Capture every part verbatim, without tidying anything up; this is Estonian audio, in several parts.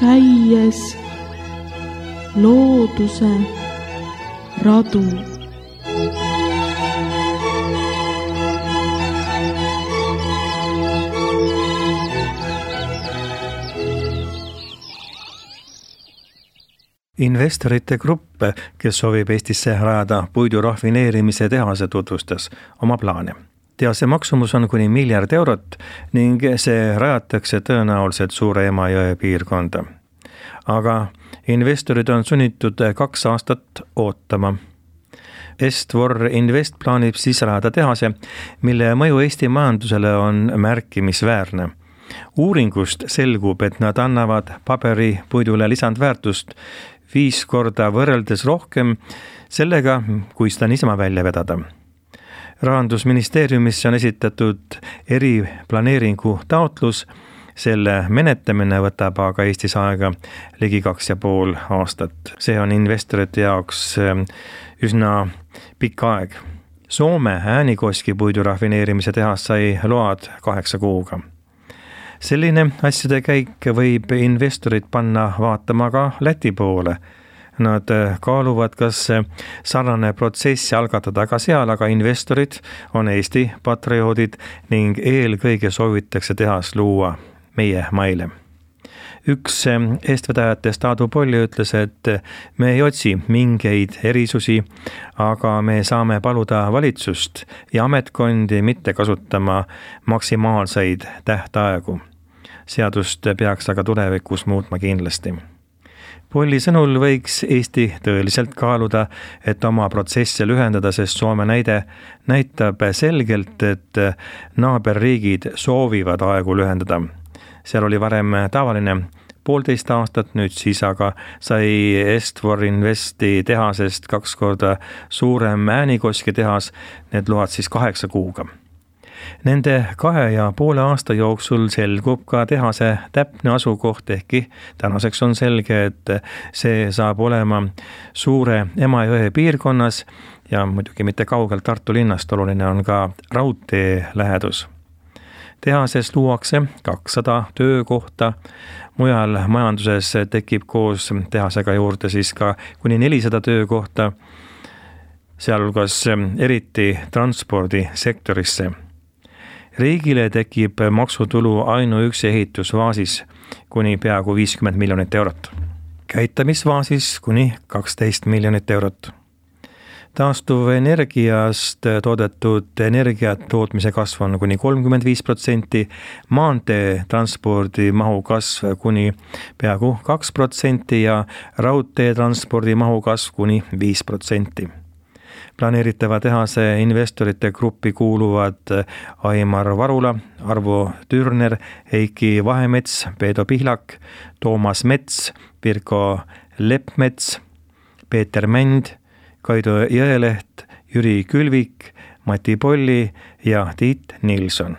käies looduse radu. Investorite grupp, kes soovib Eestisse rajada puidu rafineerimise tehase, tutvustas oma plaane. Tehase maksumus on kuni miljard eurot ning see rajatakse tõenäoliselt Suure Emajõe piirkonda. Aga investorid on sunnitud kaks aastat ootama. Estvor Invest plaanib siis rajada tehase, mille mõju Eesti majandusele on märkimisväärne. Uuringust selgub, et nad annavad paberi puidule lisandväärtust viis korda võrreldes rohkem sellega, kui seda niisama välja vedada. Rahandusministeeriumisse on esitatud eriplaneeringu taotlus, selle menetlemine võtab aga Eestis aega ligi kaks ja pool aastat. See on investorite jaoks üsna pikk aeg. Soome Äänikoski puidu rafineerimise tehas sai load kaheksa kuuga. Selline asjade käik võib investorid panna vaatama ka Läti poole. Nad kaaluvad, kas sarnane protsess algatada ka seal, aga investorid on Eesti patrioodid ning eelkõige soovitakse tehas luua meie maile. Üks eestvedajatest Aadu Polli ütles, et me ei otsi mingeid erisusi, aga me saame paluda valitsust ja ametkondi mitte kasutama maksimaalseid tähtaegu. Seadust peaks aga tulevikus muutma kindlasti. Polli sõnul võiks Eesti tõeliselt kaaluda, et oma protsesse lühendada, sest Soome näide näitab selgelt, et naaberriigid soovivad aegu lühendada. Seal oli varem tavaline poolteist aastat, nüüd siis aga sai Estvor Investi tehasest kaks korda suurem Äänikoski tehas, need load siis kaheksa kuuga. Nende kahe ja poole aasta jooksul selgub ka tehase täpne asukoht, ehkki tänaseks on selge, et see saab olema Suure Emajõe piirkonnas ja muidugi mitte kaugelt Tartu linnast, oluline on ka raudtee lähedus. Tehases luuakse kakssada töökohta, mujal majanduses tekib koos tehasega juurde siis ka kuni nelisada töökohta, sealhulgas eriti transpordisektorisse. Riigile tekib maksutulu ainuüksi ehitusvaasis kuni peaaegu viiskümmend miljonit eurot. Käitamisvaasis kuni kaksteist miljonit eurot. Taastuv energiast toodetud energiat tootmise kasv on kuni kolmkümmend viis protsenti, maantee transpordi mahu kasv kuni peaaegu kaks protsenti ja raudtee transpordi mahu kasv kuni viis protsenti. Planeeritava tehase investorite gruppi kuuluvad Aimar Varula, Arvo Türner, Heiki Vahemets, Peedo Pihlak, Toomas Mets, Pirko Leppmets, Peeter Mänd, Kaido Jõeleht, Jüri Külvik, Mati Polli ja Tiit Nilsson.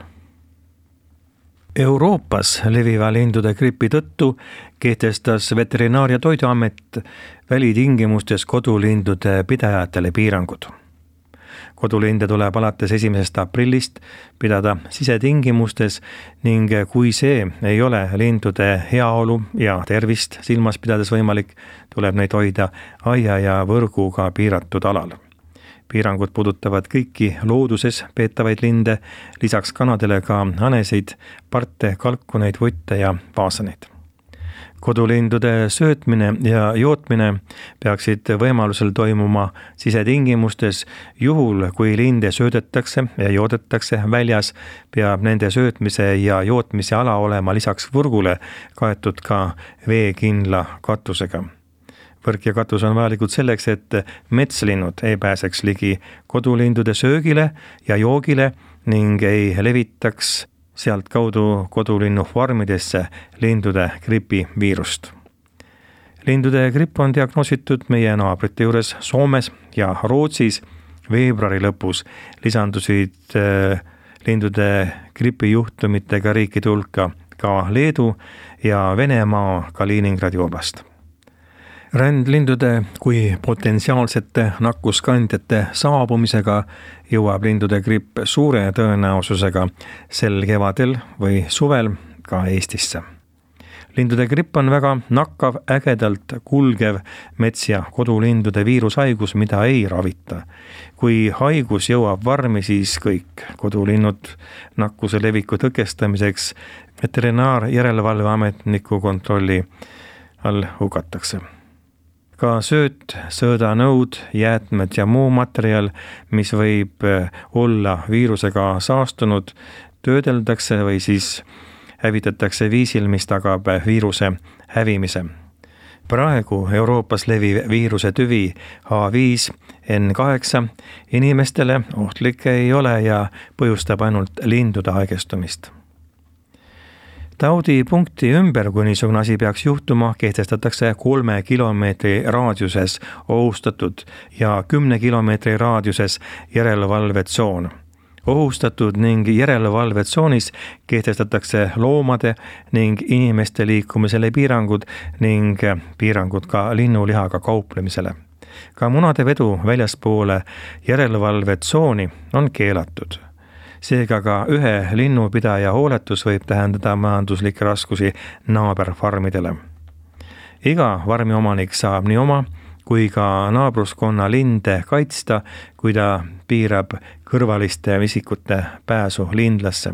Euroopas leviva lindude gripi tõttu kehtestas Veterinaar- ja Toiduamet välitingimustes kodulindude pidajatele piirangud. Kodulinde tuleb alates esimesest aprillist pidada sisetingimustes ning kui see ei ole lindude heaolu ja tervist silmas pidades võimalik, tuleb neid hoida aia ja võrguga piiratud alal. Piirangud puudutavad kõiki looduses peetavaid linde, lisaks kanadele ka hanesid, parte, kalkuneid, vutte ja vaasaneid. Kodulindude söötmine ja jootmine peaksid võimalusel toimuma sisetingimustes. Juhul, kui linde söödetakse ja joodetakse väljas, peab nende söötmise ja jootmise ala olema lisaks võrgule kaetud ka veekindla katusega. Võrk ja katus on vajalikud selleks, et metslinnud ei pääseks ligi kodulindude söögile ja joogile ning ei levitaks sealt kaudu kodulinnu farmidesse lindude gripi viirust. Lindude gripp on diagnoositud meie naabrite juures Soomes ja Rootsis. Veebruari lõpus lisandusid lindude gripi juhtumitega riikide hulka ka Leedu ja Venemaa Kaliningradi oblast. Rändlindude kui potentsiaalsete nakkuskandjate saabumisega jõuab lindude gripp suure tõenäosusega sel kevadel või suvel ka Eestisse. lindude gripp on väga nakkav, ägedalt kulgev mets- ja kodulindude viirushaigus, mida ei ravita. Kui haigus jõuab varmi, siis kõik kodulinnud nakkuse leviku tõkestamiseks veterinaarjärelevalveametniku kontrolli all hukatakse. Ka sööt, söödanõud, jäätmed ja muu materjal, mis võib olla viirusega saastunud, töödeldakse või siis hävitatakse viisil, mis tagab viiruse hävimise. Praegu Euroopas leviv viiruse tüvi H viis N kaheksa inimestele ohtlik ei ole ja põhjustab ainult lindude haigestumist. Taudipunkti ümber, kui niisugune asi peaks juhtuma, kehtestatakse kolme kilomeetri raadiuses ohustatud ja kümne kilomeetri raadiuses järelevalvetsoon. Ohustatud ning järelevalvetsoonis kehtestatakse loomade ning inimeste liikumisele piirangud ning piirangud ka linnulihaga kauplemisele. Ka munade vedu väljaspoole järelevalvetsooni on keelatud. Seega ka ühe linnupidaja hooletus võib tähendada majanduslikke raskusi naaberfarmidele. Iga farmiomanik saab nii oma kui ka naabruskonna linde kaitsta, kui ta piirab kõrvaliste isikute pääsu lindlasse.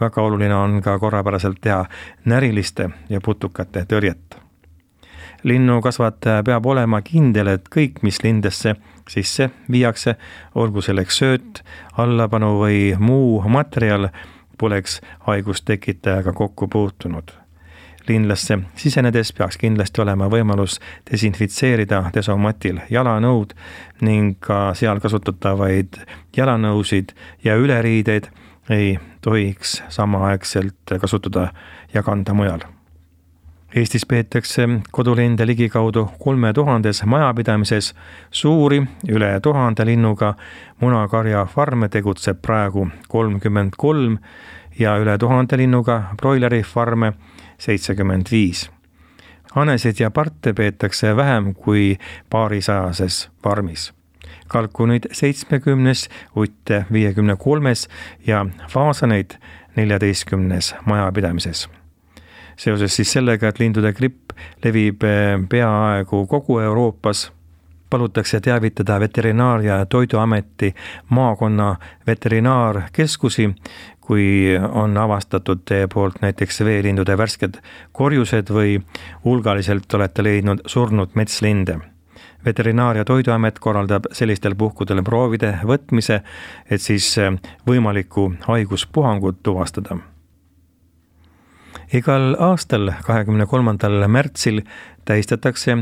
Väga oluline on ka korrapäraselt teha näriliste ja putukate tõrjet. Linnukasvataja peab olema kindel, et kõik, mis lindesse sisse viiakse, olgu selleks sööt, allapanu või muu materjal, poleks haigustekitajaga kokku puutunud. Lindlasse sisenedes peaks kindlasti olema võimalus desinfitseerida desomatil jalanõud ning ka seal kasutatavaid jalanõusid ja üleriideid ei tohiks samaaegselt kasutada ja kanda mujal. Eestis peetakse kodulinde ligikaudu kolme tuhandes majapidamises, suuri üle tuhande linnuga munakarja farme tegutseb praegu kolmkümmend kolm ja üle tuhande linnuga broileri farme seitsekümmend viis. Hanesid ja parte peetakse vähem kui paarisajases farmis. Kalkuneid seitsmekümnes, utte viiekümne kolmes ja faasaneid neljateistkümnes majapidamises. Seoses siis sellega, et lindude gripp levib peaaegu kogu Euroopas, palutakse teavitada Veterinaar- ja Toiduameti maakonna veterinaarkeskusi, kui on avastatud teie poolt näiteks veelindude värsked korjused või hulgaliselt olete leidnud surnud metslinde. Veterinaar- ja Toiduamet korraldab sellistel puhkudel proovide võtmise, et siis võimalikku haiguspuhangut tuvastada. Igal aastal kahekümne kolmandal märtsil tähistatakse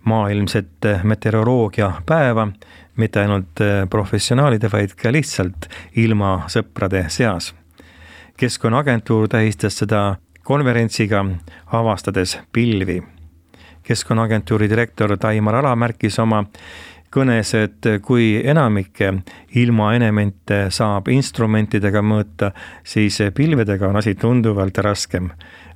maailmset meteoroloogia päeva, mitte ainult professionaalide, vaid ka lihtsalt ilma sõprade seas. Keskkonnaagentuur tähistas seda konverentsiga avastades pilvi. Keskkonnaagentuuri direktor Taimar Ala märkis oma kõnes, et kui enamikke ilmaelemente saab instrumentidega mõõta, siis pilvedega on asi tunduvalt raskem.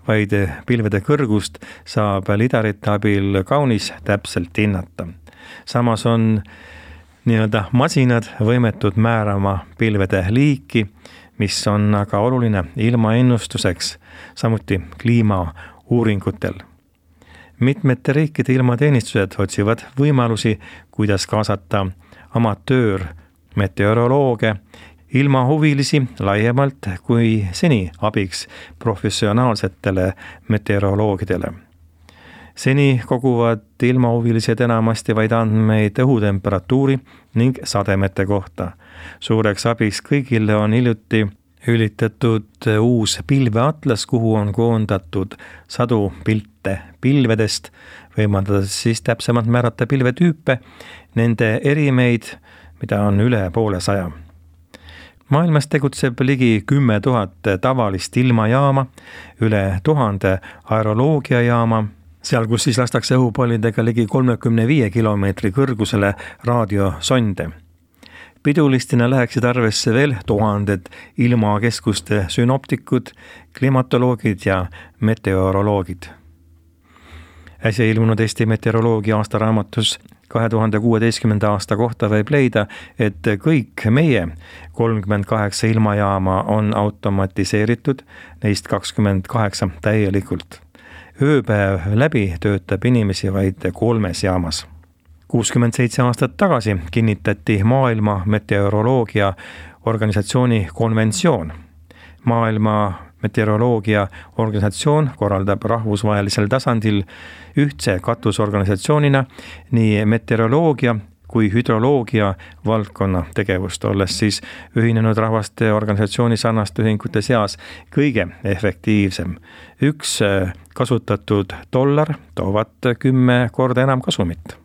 Vaid pilvede kõrgust saab lidarite abil kaunis täpselt hinnata. Samas on nii-öelda masinad võimetud määrama pilvede liiki, mis on aga oluline ilmaennustuseks, samuti kliimauuringutel. Mitmete riikide ilmateenistused otsivad võimalusi, kuidas kaasata amatöör meteorolooge, ilmahuvilisi laiemalt kui seni abiks professionaalsetele meteoroloogidele. Seni koguvad ilmahuvilised enamasti vaid andmeid õhutemperatuuri ning sademete kohta. Suureks abiks kõigile on hiljuti ülitatud uus pilveatlas, kuhu on koondatud sadu pilte pilvedest, võimaldades siis täpsemalt määrata pilvetüüpe, nende erimeid, mida on üle poole saja. Maailmas tegutseb ligi kümme tuhat tavalist ilmajaama, üle tuhande aeroloogiajaama, seal kus siis lastakse õhupallidega ligi kolmekümne viie kilomeetri kõrgusele raadiosonde. Pidulistina läheksid arvesse veel tuhanded ilmakeskuste synoptikud, klimatoloogid ja meteoroloogid. Äsja ilmunud Eesti meteoroloogia aastaraamatus kahe tuhande kuueteistkümnenda aasta kohta võib leida, et kõik meie kolmkümmend kaheksa ilmajaama on automatiseeritud, neist kakskümmend kaheksa täielikult. ööpäev läbi töötab inimesi vaid kolmes jaamas. kuuskümmend seitse aastat tagasi kinnitati Maailma Meteoroloogia Organisatsiooni konventsioon. Maailma Meteoroloogia Organisatsioon korraldab rahvusvahelisel tasandil ühtse katusorganisatsioonina nii meteoroloogia kui hüdroloogia valdkonna tegevust, olles siis Ühinenud Rahvaste Organisatsiooni sarnaste ühingute seas kõige efektiivsem. Üks kasutatud dollar toovad kümme korda enam kasumit.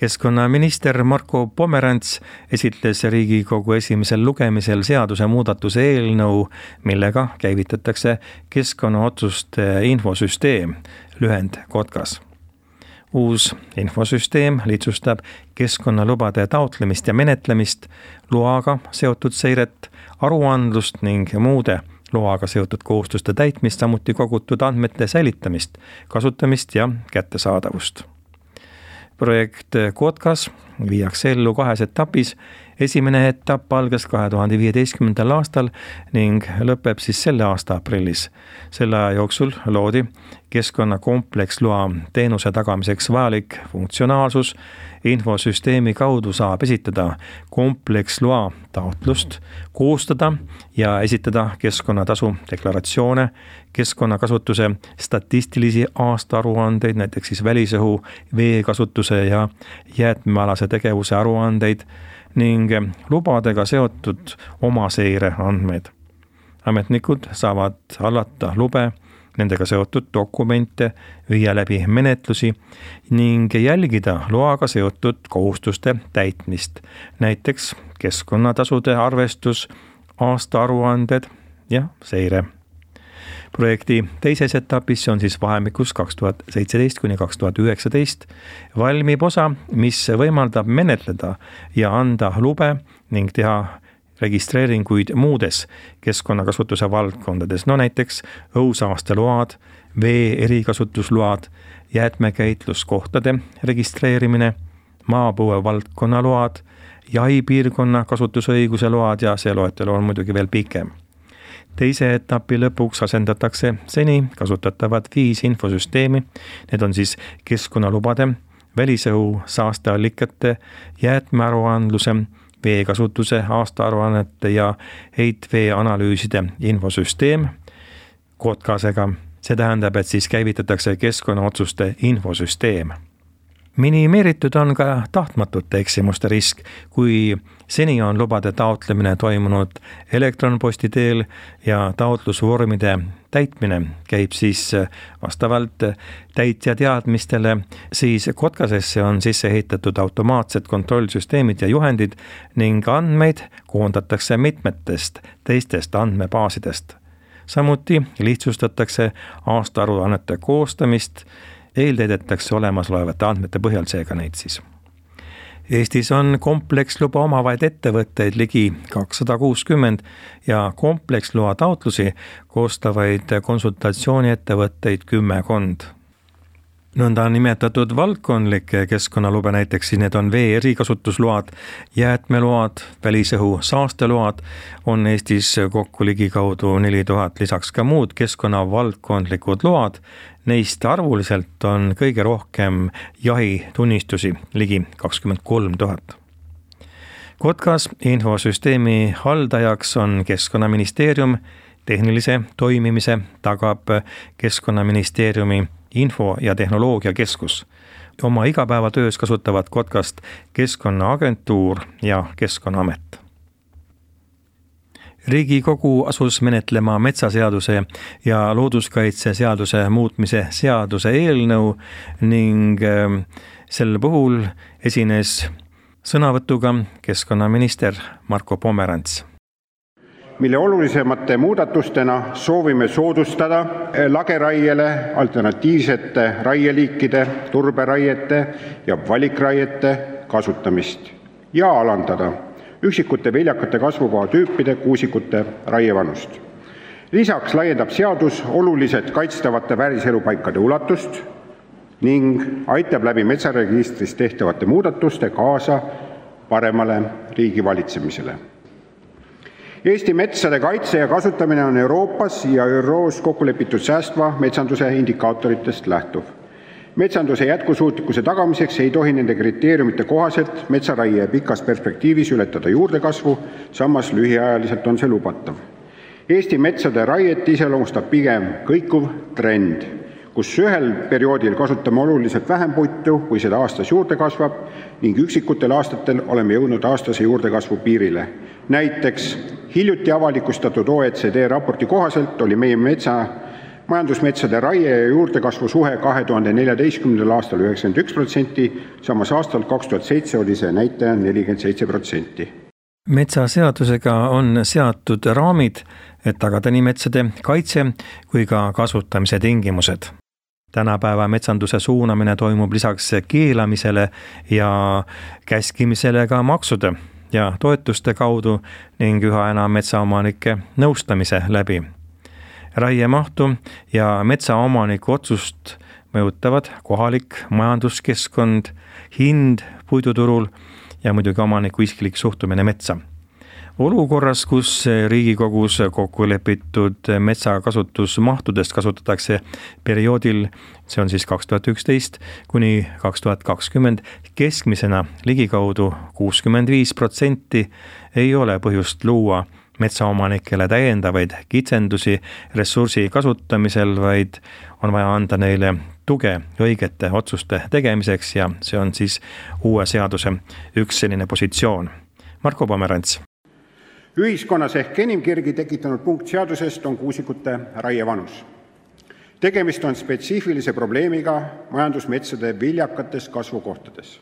Keskkonnaminister Marko Pomerants esitles Riigikogu esimesel lugemisel seaduse muudatuse eelnõu, millega käivitatakse keskkonnaotsuste infosüsteem, lühend KOTKAS. Uus infosüsteem lihtsustab keskkonnalubade taotlemist ja menetlemist, loaga seotud seiret, aruandlust ning muude loaga seotud kohustuste täitmist, samuti kogutud andmete säilitamist, kasutamist ja kättesaadavust. Projekt KOTKAS viiakse ellu kahes etapis. Esimene etapp algas kahe tuhande viieteistkümnendal aastal ning lõpeb siis selle aasta aprillis. Selle aja jooksul loodi keskkonnakompleksloa teenuse tagamiseks vajalik funktsionaalsus. Infosüsteemi kaudu saab esitada kompleksloa taotlust, koostada ja esitada keskkonnatasu deklaratsioone, keskkonnakasutuse statistilisi aastaaruandeid, näiteks siis välisõhu, veekasutuse ja jäätmealase tegevuse aruandeid ning lubadega seotud omaseire andmeid. Ametnikud saavad hallata lube, nendega seotud dokumente, viia läbi menetlusi ning jälgida loaga seotud kohustuste täitmist, näiteks keskkonnatasude arvestus, aastaaruanded ja seire. Projekti teises etapis, see on siis vahemikus kaks tuhat seitseteist kuni kaks tuhat üheksateist, valmib osa, mis võimaldab menetleda ja anda lube ning teha registreeringuid muudes keskkonnakasutuse valdkondades, no näiteks õhusaasteload, vee erikasutusload, jäätmekäitluskohtade registreerimine, maapõue valdkonnaload, jahipiirkonna kasutusõiguse load ja see loetelu on muidugi veel pikem. Teise etapi lõpuks asendatakse seni kasutatavad viis infosüsteemi, need on siis keskkonnalubade, välisõhu saasteallikate, jäätmearuandluse, veekasutuse aastaaruannete ja heitvee analüüside infosüsteem KOTKASega. See tähendab, et siis käivitatakse keskkonnaotsuste infosüsteem. Minimeeritud on ka tahtmatute eksimuste risk, kui seni on lubade taotlemine toimunud elektronposti teel ja taotlusvormide täitmine käib siis vastavalt täitja teadmistele, siis KOTKASesse on sisse ehitatud automaatsed kontrollsüsteemid ja juhendid ning andmeid koondatakse mitmetest teistest andmebaasidest. Samuti lihtsustatakse aastaaruannete koostamist, eeltäidetakse olemasolevate andmete põhjal seega neid siis. Eestis on kompleksluba omavaid ettevõtteid ligi kakssada kuuskümmend ja kompleksloa taotlusi koostavaid konsultatsiooniettevõtteid kümmekond. Nõnda nimetatud valdkondlikke keskkonnalube, näiteks need on vee erikasutusload, jäätmeload, välisõhu saasteload, on Eestis kokku ligikaudu neli tuhat, lisaks ka muud keskkonnavaldkondlikud load. Neist arvuliselt on kõige rohkem jahitunnistusi, ligi kakskümmend kolm tuhat. KOTKAS infosüsteemi haldajaks on Keskkonnaministeerium, tehnilise toimimise tagab Keskkonnaministeeriumi info- ja tehnoloogiakeskus. Oma igapäevatöös kasutavad KOTKASt Keskkonnaagentuur ja Keskkonnaamet. Riigikogu asus menetlema metsaseaduse ja looduskaitseseaduse muutmise seaduse eelnõu ning sel puhul esines sõnavõtuga keskkonnaminister Marko Pomerants. mille olulisemate muudatustena soovime soodustada lageraiele alternatiivsete raieliikide, turberaiete ja valikraiete kasutamist ja alandada üksikute viljakate kasvukoha tüüpide kuusikute raievanust. Lisaks laiendab seadus oluliselt kaitstavate vääriselupaikade ulatust ning aitab läbi metsaregistris tehtavate muudatuste kaasa paremale riigivalitsemisele. Eesti metsade kaitse ja kasutamine on Euroopas ja ÜROs kokku lepitud säästva metsanduse indikaatoritest lähtuv. Metsanduse jätkusuutlikkuse tagamiseks ei tohi nende kriteeriumite kohaselt metsaraie pikas perspektiivis ületada juurdekasvu, samas lühiajaliselt on see lubatav. Eesti metsade raiet iseloomustab pigem kõikuv trend, kus ühel perioodil kasutame oluliselt vähem puitu, kui seda aastas juurde kasvab, ning üksikutel aastatel oleme jõudnud aastase juurdekasvu piirile. Näiteks hiljuti avalikustatud O E C D raporti kohaselt oli meie metsa majandusmetsade raie ja juurdekasvu suhe kahe tuhande neljateistkümnendal aastal üheksakümmend üks protsenti, samas aastal kaks tuhat seitse oli see näitaja nelikümmend seitse protsenti. Metsaseadusega on seatud raamid, et tagada nii metsade kaitse kui ka kasutamise tingimused. Tänapäeva metsanduse suunamine toimub lisaks keelamisele ja käskimisele ka maksude ja toetuste kaudu ning üha enam metsaomanike nõustamise läbi. Raiemahtu ja metsaomaniku otsust mõjutavad kohalik majanduskeskkond, hind puiduturul ja muidugi omaniku isiklik suhtumine metsa. Olukorras, kus Riigikogus kokku lepitud metsakasutusmahtudest kasutatakse perioodil, see on siis kaks tuhat üksteist kuni kaks tuhat kakskümmend, keskmisena ligikaudu kuuskümmend viis protsenti, ei ole põhjust luua metsaomanikele täiendavaid kitsendusi ressursi kasutamisel, vaid on vaja anda neile tuge õigete otsuste tegemiseks ja see on siis uue seaduse üks selline positsioon. Marko Pomerants. Ühiskonnas ehk enim kirgi tekitanud punkt seadusest on kuusikute raievanus. Tegemist on spetsiifilise probleemiga majandusmetsade viljakates kasvukohtades.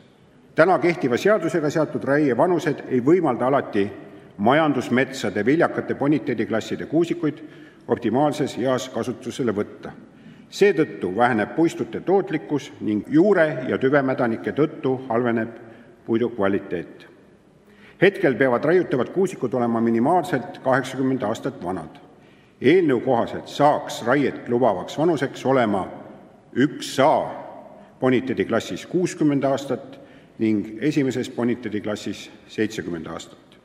Täna kehtiva seadusega seatud raievanused ei võimalda alati majandusmetsade viljakate boniteediklasside kuusikuid optimaalses eas kasutusele võtta. Seetõttu väheneb puistute tootlikkus ning juure- ja tüvemädanike tõttu halveneb puidu kvaliteet. Hetkel peavad raiutavad kuusikud olema minimaalselt kaheksakümmend aastat vanad. Eelnõu kohaselt saaks raiet lubavaks vanuseks olema üks A boniteediklassis kuuskümmend aastat ning esimeses boniteediklassis seitsekümmend aastat.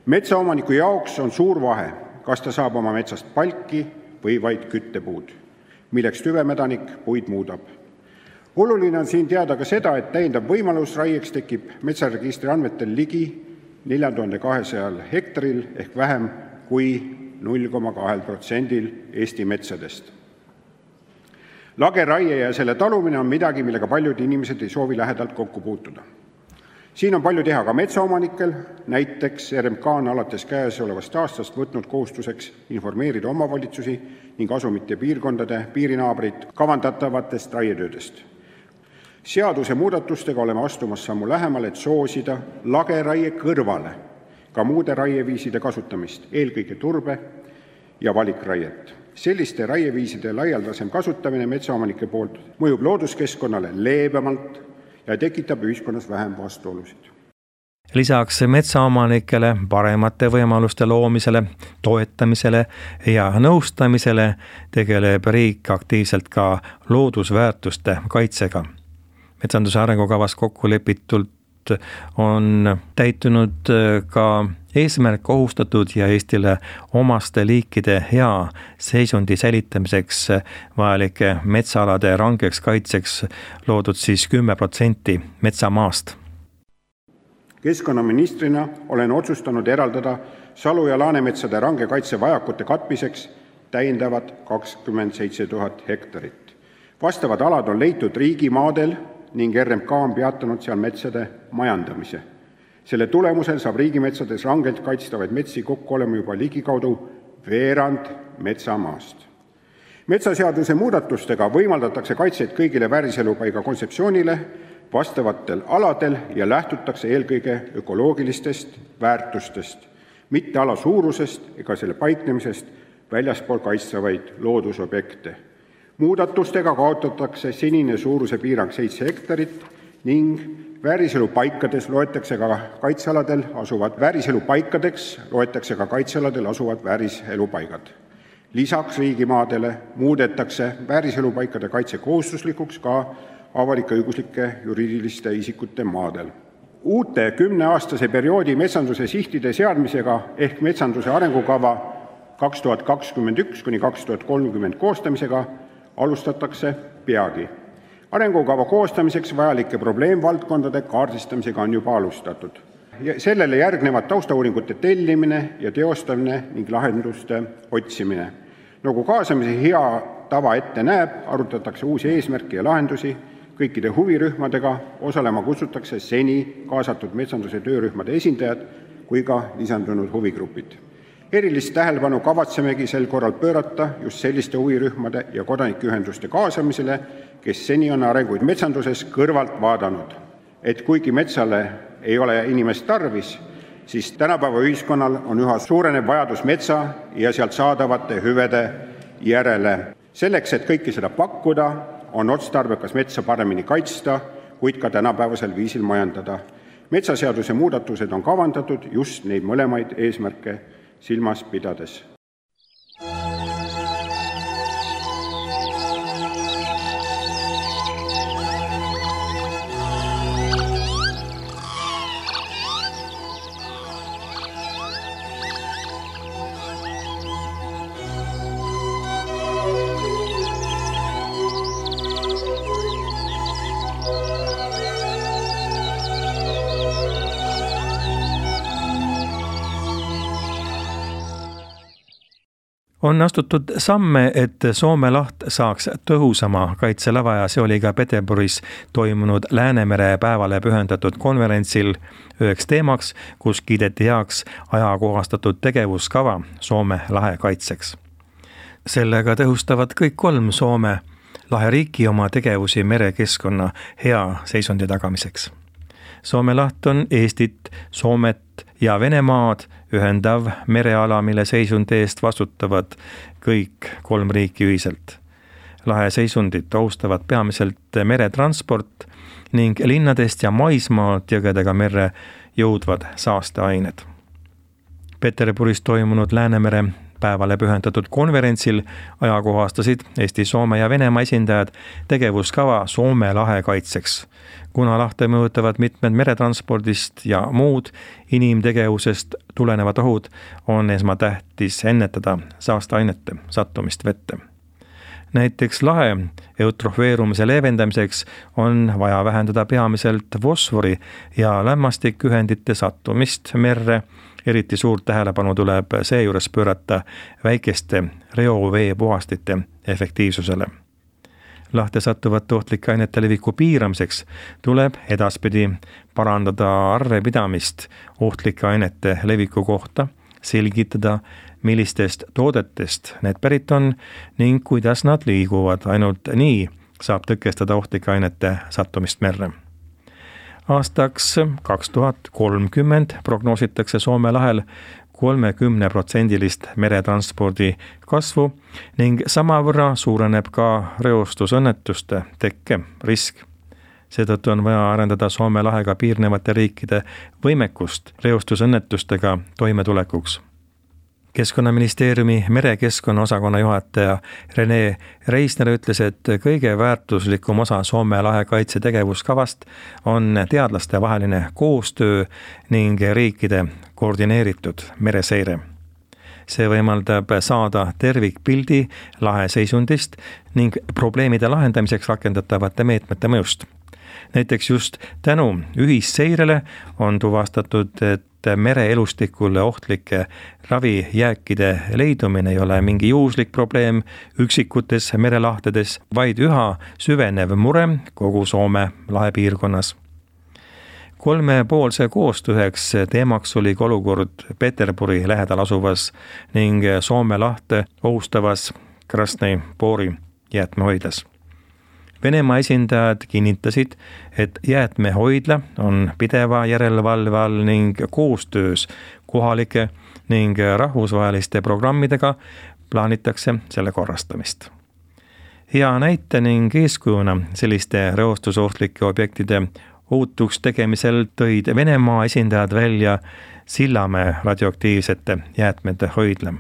Metsaomaniku jaoks on suur vahe, kas ta saab oma metsast palki või vaid küttepuud, milleks tüvemädanik puid muudab. Oluline on siin teada ka seda, et täiendav võimalus raieks tekib metsaregistri andmetel ligi nelja tuhande kahesajal hektaril ehk vähem kui null koma kaks protsenti Eesti metsadest. Lageraie ja selle talumine on midagi, millega paljud inimesed ei soovi lähedalt kokku puutuda. Siin on palju teha ka metsaomanikel, näiteks R M K on alates käesolevast aastast võtnud kohustuseks informeerida omavalitsusi ning asumite piirkondade piirinaabrid kavandatavatest raietöödest. Seaduse muudatustega oleme astumas sammu lähemale, et soosida lageraie kõrvale ka muude raieviiside kasutamist, eelkõige turbe ja valikraiet. Selliste raieviiside laialdasem kasutamine metsaomanike poolt mõjub looduskeskkonnale leebemalt ja tekitab ühiskonnas vähem vastuolusid. Lisaks metsaomanikele paremate võimaluste loomisele, toetamisele ja nõustamisele tegeleb riik aktiivselt ka loodusväärtuste kaitsega. Metsanduse arengukavas kokku lepitult on täitunud ka eesmärk kohustatud ja Eestile omaste liikide hea seisundi säilitamiseks vajalike metsaalade rangeks kaitseks loodud siis kümme protsenti metsamaast. Keskkonnaministrina olen otsustanud eraldada salu- ja laanemetsade range kaitse vajakute katmiseks täiendavad kakskümmend seitse tuhat hektarit. Vastavad alad on leitud riigimaadel ning R M K on peatanud seal metsade majandamise. Selle tulemusel saab riigimetsades rangelt kaitstavaid metsi kokku olema juba ligikaudu veerand metsamaast. Metsaseaduse muudatustega võimaldatakse kaitset kõigile vääriselupaiga kontseptsioonile vastavatel aladel ja lähtutakse eelkõige ökoloogilistest väärtustest, mitte ala suurusest ega selle paiknemisest väljaspool kaitstavaid loodusobjekte. Muudatustega kaotatakse senine suuruse piirang seitse hektarit ning vääriselupaikades loetakse ka kaitsealadel asuvad vääriselupaikadeks loetakse ka kaitsealadel asuvad vääriselupaigad. Lisaks riigimaadele muudetakse vääriselupaikade kaitse kohustuslikuks ka avalik-õiguslike juriidiliste isikute maadel. Uute kümneaastase perioodi metsanduse sihtide seadmisega ehk metsanduse arengukava kaks tuhat kakskümmend üks kuni kaks tuhat kolmkümmend koostamisega alustatakse peagi. Arengukava koostamiseks vajalike probleemvaldkondade kaardistamisega on juba alustatud. Sellele järgnevad taustauuringute tellimine ja teostamine ning lahenduste otsimine. Nagu kaasamise hea tava ette näeb, arutatakse uusi eesmärke ja lahendusi kõikide huvirühmadega, osalema kutsutakse seni kaasatud metsanduse töörühmade esindajad kui ka lisandunud huvigrupid. Erilist tähelepanu kavatsemegi sel korral pöörata just selliste huvirühmade ja kodanikuühenduste kaasamisele, kes seni on arenguid metsanduses kõrvalt vaadanud. Et kuigi metsale ei ole inimest tarvis, siis tänapäeva ühiskonnal on üha suurenev vajadus metsa ja sealt saadavate hüvede järele. Selleks, et kõike seda pakkuda, on otstarbekas metsa paremini kaitsta, kuid ka tänapäevasel viisil majandada. Metsaseaduse muudatused on kavandatud just neid mõlemaid eesmärke silmas pidades. On astutud samme, et Soome laht saaks tõhusama kaitselava ja see oli ka Peterburis toimunud Läänemere päevale pühendatud konverentsil üheks teemaks, kus kiideti heaks ajakohastatud tegevuskava Soome lahe kaitseks. Sellega tõhustavad kõik kolm Soome laheriiki oma tegevusi merekeskkonna hea seisundi tagamiseks. Soome laht on Eestit, Soomet ja Venemaad ühendav mereala, mille seisundi eest vastutavad kõik kolm riiki ühiselt. Lahe seisundit ohustavad peamiselt meretransport ning linnadest ja maismaalt jõgedega merre jõudvad saasteained. Peterburis toimunud Läänemere päevale pühendatud konverentsil ajakohastasid Eesti, Soome ja Venemaa esindajad tegevuskava Soome lahe kaitseks. Kuna lahte mõjutavad mitmed meretranspordist ja muud inimtegevusest tulenevad ohud, on esmatähtis ennetada saasteainete sattumist vette. Näiteks lahe eutrofeerumise leevendamiseks on vaja vähendada peamiselt fosfori ja lämmastikühendite sattumist merre. Eriti suurt tähelepanu tuleb seejuures pöörata väikeste reovee puhastite efektiivsusele. Lahte sattuvate ohtlike ainete leviku piiramiseks tuleb edaspidi parandada arvepidamist ohtlike ainete leviku kohta, selgitada, millistest toodetest need pärit on ning kuidas nad liiguvad. Ainult nii saab tõkestada ohtlike ainete sattumist merre. Aastaks kaks tuhat kolmkümmend prognoositakse Soome lahel kolmekümne protsendilist meretranspordi kasvu ning samavõrra suureneb ka reostusõnnetuste tekke risk. Seetõttu on vaja arendada Soome lahega piirnevate riikide võimekust reostusõnnetustega toimetulekuks. Keskkonnaministeeriumi merekeskkonna osakonna juhataja Rene Reisner ütles, et kõige väärtuslikum osa Soome lahe kaitse tegevuskavast on teadlaste vaheline koostöö ning riikide koordineeritud mereseire. See võimaldab saada tervikpildi lahe seisundist ning probleemide lahendamiseks rakendatavate meetmete mõjust. Näiteks just tänu ühisseirele on tuvastatud, et mereelustikule ohtlike ravijääkide leidumine ei ole mingi juhuslik probleem üksikutes merelahtedes, vaid üha süvenev mure kogu Soome lahe piirkonnas. Kolmepoolse koostööks teemaks oli olukord Peterburi lähedal asuvas ning Soome lahte ohustavas Krasnõi Pori jäätmehoidlas. Venemaa esindajad kinnitasid, et jäätmehoidla on pideva järelevalve all ning koostöös kohalike ning rahvusvaheliste programmidega plaanitakse selle korrastamist. Hea näite ning eeskujuna selliste reostusohtlike objektide ohutuks tegemisel tõid Venemaa esindajad välja Sillamäe radioaktiivsete jäätmete hoidla.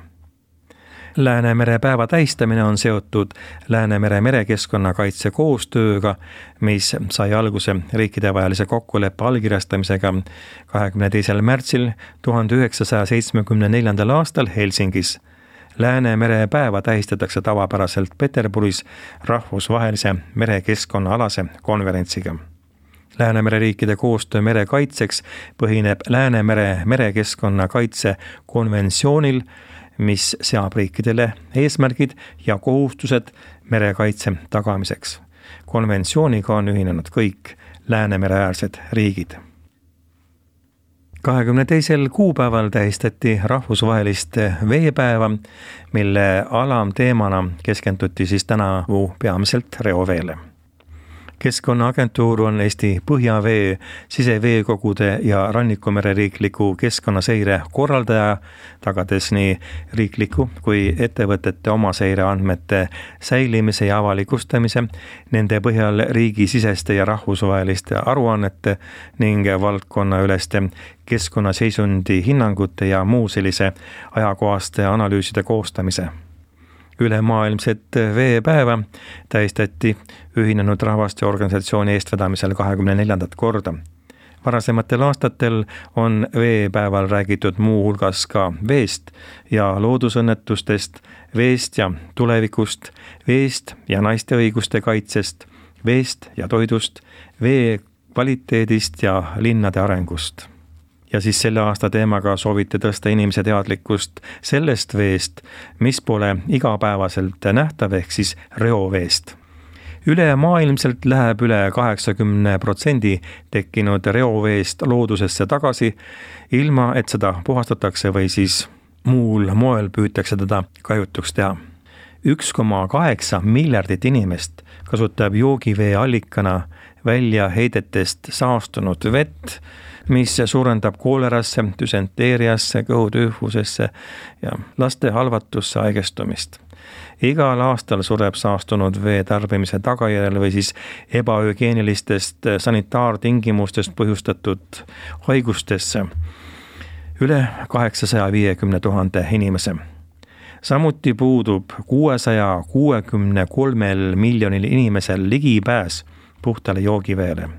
Läänemere päeva tähistamine on seotud Läänemere merekeskkonnakaitse koostööga, mis sai alguse riikidevahelise kokkuleppe allkirjastamisega kahekümne teisel märtsil tuhande üheksasaja seitsmekümne neljandal aastal Helsingis. Läänemere päeva tähistatakse tavapäraselt Peterburis rahvusvahelise merekeskkonnaalase konverentsiga. Läänemere riikide koostöö merekaitseks põhineb Läänemere merekeskkonnakaitse konventsioonil, mis seab riikidele eesmärgid ja kohustused merekaitse tagamiseks. Konventsiooniga on ühinenud kõik Läänemere-äärsed riigid. kahekümne teisel kuupäeval tähistati rahvusvahelist veepäeva, mille alamteemana keskenduti siis tänavu peamiselt reoveele. Keskkonnaagentuur on Eesti põhjavee, siseveekogude ja rannikumere riikliku keskkonnaseire korraldaja, tagades nii riikliku kui ettevõtete omaseire andmete säilimise ja avalikustamise, nende põhjal riigisiseste ja rahvusvaheliste aruannete ning valdkonnaüleste keskkonnaseisundi hinnangute ja muu sellise ajakohaste analüüside koostamise. Ülemaailmset veepäeva tähistati Ühinenud Rahvaste Organisatsiooni eestvedamisel kahekümne neljandat korda. Varasematel aastatel on veepäeval räägitud muu hulgas ka veest ja loodusõnnetustest, veest ja tulevikust, veest ja naiste õiguste kaitsest, veest ja toidust, vee kvaliteedist ja linnade arengust. Ja siis selle aasta teemaga sooviti tõsta inimese teadlikkust sellest veest, mis pole igapäevaselt nähtav ehk siis reoveest. Ülemaailmselt läheb üle kaheksakümne protsendi tekkinud reoveest loodusesse tagasi, ilma et seda puhastatakse või siis muul moel püütakse teda kajutuks teha. üks koma kaheksa miljardit inimest kasutab joogivee allikana välja heidetest saastunud vett, mis suurendab koolerasse, düsenteeriasse, kõhutüüfusesse ja laste halvatusse haigestumist. Igal aastal sureb saastunud vee tarbimise tagajärjel või siis ebahügieenilistest sanitaartingimustest põhjustatud haigustesse üle kaheksasaja viiekümne tuhande inimese. Samuti puudub kuuesaja kuuekümne kolmel miljonil inimesel ligipääs puhtale joogiveele.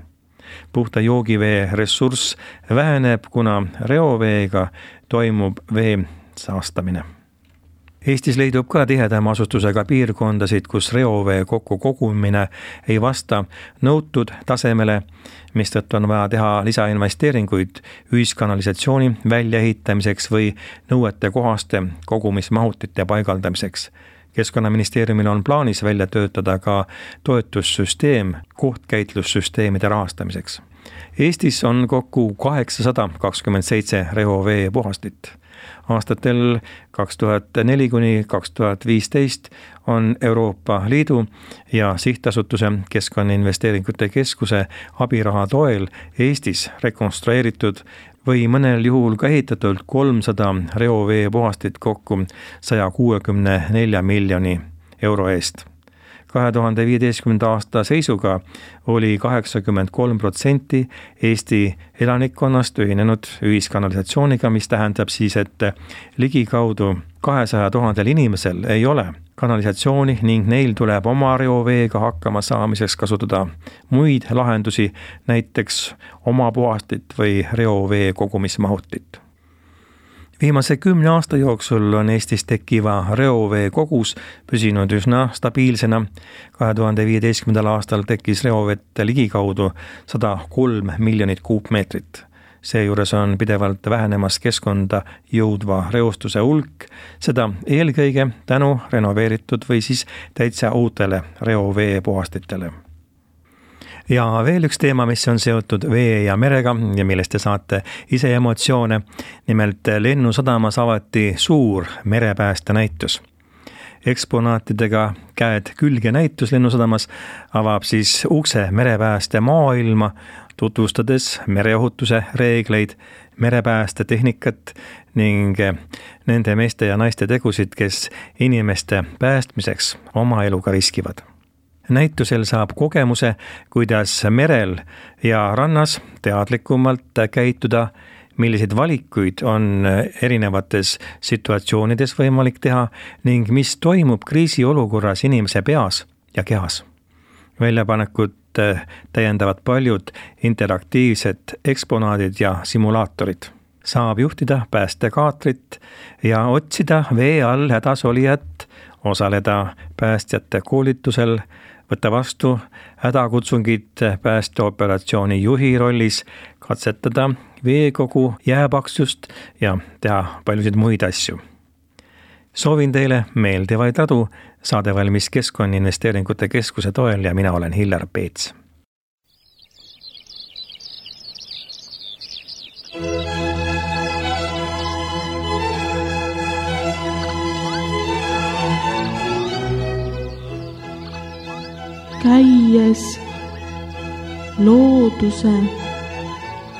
Puhta joogivee ressurss väheneb, kuna reoveega toimub vee saastamine. Eestis leidub ka tihedama asustusega piirkondasid, kus reovee kokku kogumine ei vasta nõutud tasemele, mistõttu on vaja teha lisainvesteeringuid ühiskanalisatsiooni väljaehitamiseks või nõuete kohaste kogumismahutite paigaldamiseks. Keskkonnaministeeriumil on plaanis välja töötada ka toetussüsteem kohtkäitlussüsteemide rahastamiseks. Eestis on kokku kaheksasada kakskümmend seitse reovee puhastit. Aastatel kaks tuhat neli kuni kaks tuhat viisteist on Euroopa Liidu ja Sihtasutuse Keskkonnainvesteeringute Keskuse abiraha toel Eestis rekonstrueeritud või mõnel juhul ka ehitatud kolmsada reovee puhastit kokku saja kuuekümne nelja miljoni euro eest. kahe tuhande viieteistkümnenda aasta seisuga oli kaheksakümmend kolm protsenti Eesti elanikkonnast ühinenud ühiskanalisatsiooniga, mis tähendab siis, et ligikaudu kahesaja tuhandel inimesel ei ole kanalisatsiooni ning neil tuleb oma reoveega hakkama saamiseks kasutada muid lahendusi, näiteks oma puhastit või reovee kogumismahutit. Viimase kümne aasta jooksul on Eestis tekkiva reovee kogus püsinud üsna stabiilsena. kahe tuhande viieteistkümnendal aastal tekkis reovett ligikaudu sada kolm miljonit kuupmeetrit. Seejuures on pidevalt vähenemas keskkonda jõudva reostuse hulk, seda eelkõige tänu renoveeritud või siis täitsa uutele reovee puhastitele. Ja veel üks teema, mis on seotud vee ja merega ja millest te saate ise emotsioone. Nimelt Lennusadamas avati suur merepääste näitus. eksponaatidega käed külge näitus Lennusadamas avab siis ukse merepääste maailma, tutvustades mereohutuse reegleid, merepääste tehnikat ning nende meeste ja naiste tegusid, kes inimeste päästmiseks oma eluga riskivad. Näitusel saab kogemuse, kuidas merel ja rannas teadlikumalt käituda, milliseid valikuid on erinevates situatsioonides võimalik teha ning mis toimub kriisiolukorras inimese peas ja kehas. Väljapanekut täiendavad paljud interaktiivsed eksponaadid ja simulaatorid. Saab juhtida päästekaatrit ja otsida vee all hädas olijat, osaleda päästjate koolitusel, võtta vastu hädakutsungid päästeoperatsiooni juhi rollis, katsetada veekogu jääpaksust ja teha paljusid muid asju. Soovin teile meeldivaid radu, saade valmis Keskkonnainvesteeringute Keskuse toel ja mina olen Hillar Peets. Käies looduse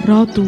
radu.